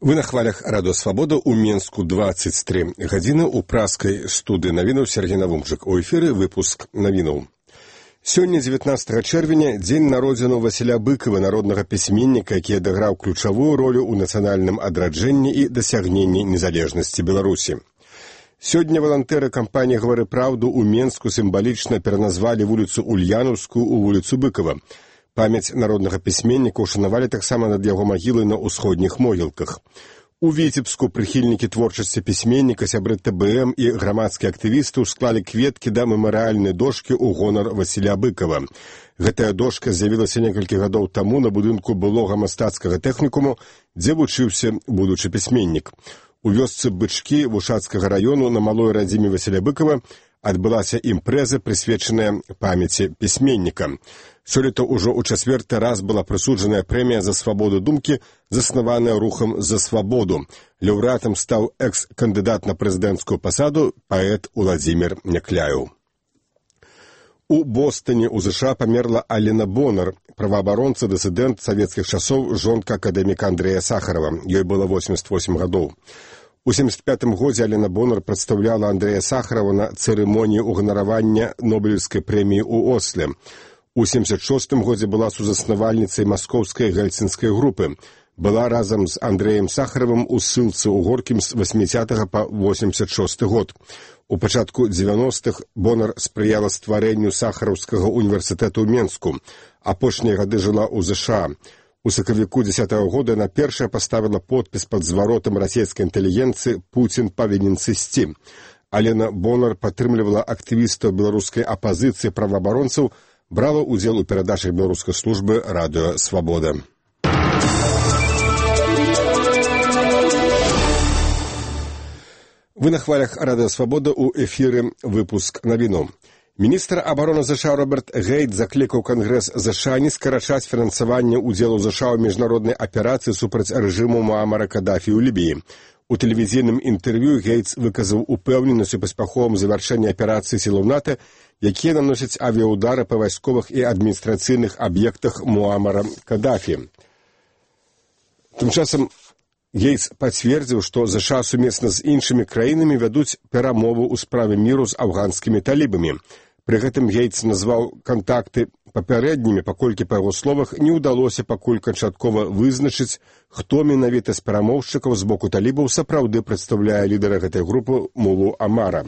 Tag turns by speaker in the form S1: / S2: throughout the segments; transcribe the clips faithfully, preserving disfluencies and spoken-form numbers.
S1: Вы на хвалях Радио Свобода у Менску двадцать три гадзіны у праскай студыі навінаў Сергей Навумчык. У эфіры выпуск навінаў. Сёння, дзевятнаццатага чэрвеня, дзень народзіну Васіля Быкова, народнага пісьменніка, які адыграў ключавую ролю ў нацыянальным адраджэнні і дасягненні незалежнасці Беларусі. Сёння валантэры кампаніі «Гавары праўду» у Менску сімвалічна пераназвалі вуліцу Ульянаўскую ў вуліцу Быкова. Памяць народнага пісьменніка ушанавалі таксама над яго магілай на ўсходніх могілках. У Віцебску прыхільнікі творчасці пісьменніка, сябры тэ бэ эм і грамадскія актывісты склалі кветкі да мемарыяльнай дошкі ў гонар Васіля Быкова. Гэтая дошка з'явілася некалькі гадоў таму на будынку былога мастацкага тэхнікуму, дзе вучыўся будучы пісьменнік. У вёсцы Бычкі Вушацкага раёну на малой радзіме Васіля Быкова адбылася імпрэза, прысвечаная памяці пісьменніка. Сёлета ўжо ў чацвёрты раз была прысуджаная прэмія за свабоду думкі, заснаваная рухам за свабоду. Лаўрэатам стаў экс-кандыдат на прэзідэнцкую пасаду паэт Уладзімір Някляеў. У Бостоне у ЗША памерла Алена Бонар, праваабаронца, дысідэнт савецкіх часоў, жонка акадэміка Андрэя Сахарова. Ёй было восемьдесят восемь гадоў. У семьдесят пятым годзе Алена Бонар прадстаўляла Андрэя Сахарова на цырымоніі ўганаравання Нобелеўскай прэміі ў Осле. У семьдесят шостым годзе была сузаснавальніцай маскоўскай гельсінскай групы. Была разам з Андрэем Сахаровым у ссылцы ў Горкім з восьмідзесятага па восемьдесят шосты год. У пачатку дзевяностых Бонар спрыяла стварэнню Сахараўскага універсітэту ў Менску. Апошнія гады жыла ў ЗША. У сакавіку дзесятага года яна першая паставіла подпіс пад зваротам расійскай інтэлігенцыі «Пуцін павінен сысці». Алена Бонар падтрымлівала актывістаў беларускай апазіцыі праваабаронцаў, брала ўдзел у перадачах беларускай службы Радыё Свабода. Вы на хвалях Радыё Свабода у эфіры выпуск навіну. Міністр абароны ЗША Роберт Гейт заклікаў Кангрэс ЗША не скарачаць фінансаванне ўдзелу ЗША ў міжнароднай аперацыі супраць рэжыму Муамара Кадафі ў Лібіі. У тэлевізійным інтэрв'ю Гейтс выказаў упэўненасць у паспяховым завяршэнні аперацыі сілаў НАТО, якія наносяць авіяудары па вайсковых і адміністрацыйных аб'ектах Муамара Кадафі. Тым часам Гейтс пацвердзіў, што ЗША сумесна з іншымі краінамі вядуць перамовы ў справе міру з афганскімі талібамі. Пры гэтым Гейтс назваў кантакты папярэднімі, паколькі, па яго словах, не ўдалося пакуль канчаткова вызначыць, хто менавіта з перамоўшчыкаў з боку талібаў сапраўды прадстаўляе лідара гэтай групы Мулу Амара.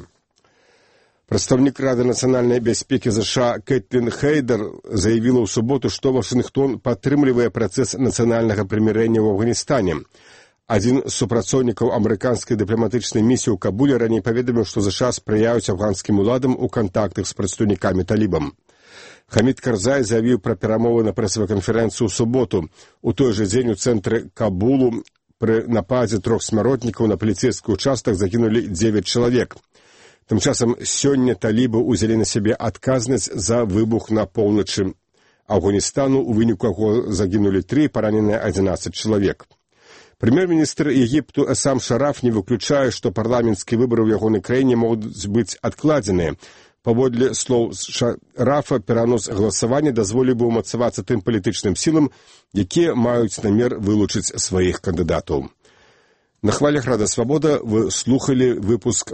S1: Прадстаўнік Рады нацыянальнай бяспекі ЗША Кэтлін Хейдер заявіла ў суботу, што Вашынгтон падтрымлівае працэс нацыянальнага прымірэння ў Афганістане. Адзін з супрацоўнікаў амерыканскай дыпламатычнай місіі ў Кабуле раней паведаміў, што ЗША спрыяюць афганскім уладам у кантактах з прадстаўнікамі талібам. Хамід Карзай заявіў пра перамовы на прэсавай канферэнцыі ў суботу. У той жа дзень у цэнтры Кабулу пры нападзе трох смяротнікаў на паліцэйскі ўчастак загінулі дзевяць чалавек. Тым часам сёння талібы ўзялі на сябе адказнасць за выбух на поўначы Афганістану, у выніку яго загінулі тры, параненыя адзінаццаць чалавек. Прэм'ер-міністр Егіпту Эсам Шараф не выключае, што парламенцкія выбары ў ягонай краіне могуць быць адкладзеныя. Паводле слоў Шарафа, перанос галасавання дазволіў бы ўмацавацца тым палітычным сілам, якія маюць намер вылучыць сваіх кандыдатаў. На хвалях Радыё Свабода вы слухалі выпуск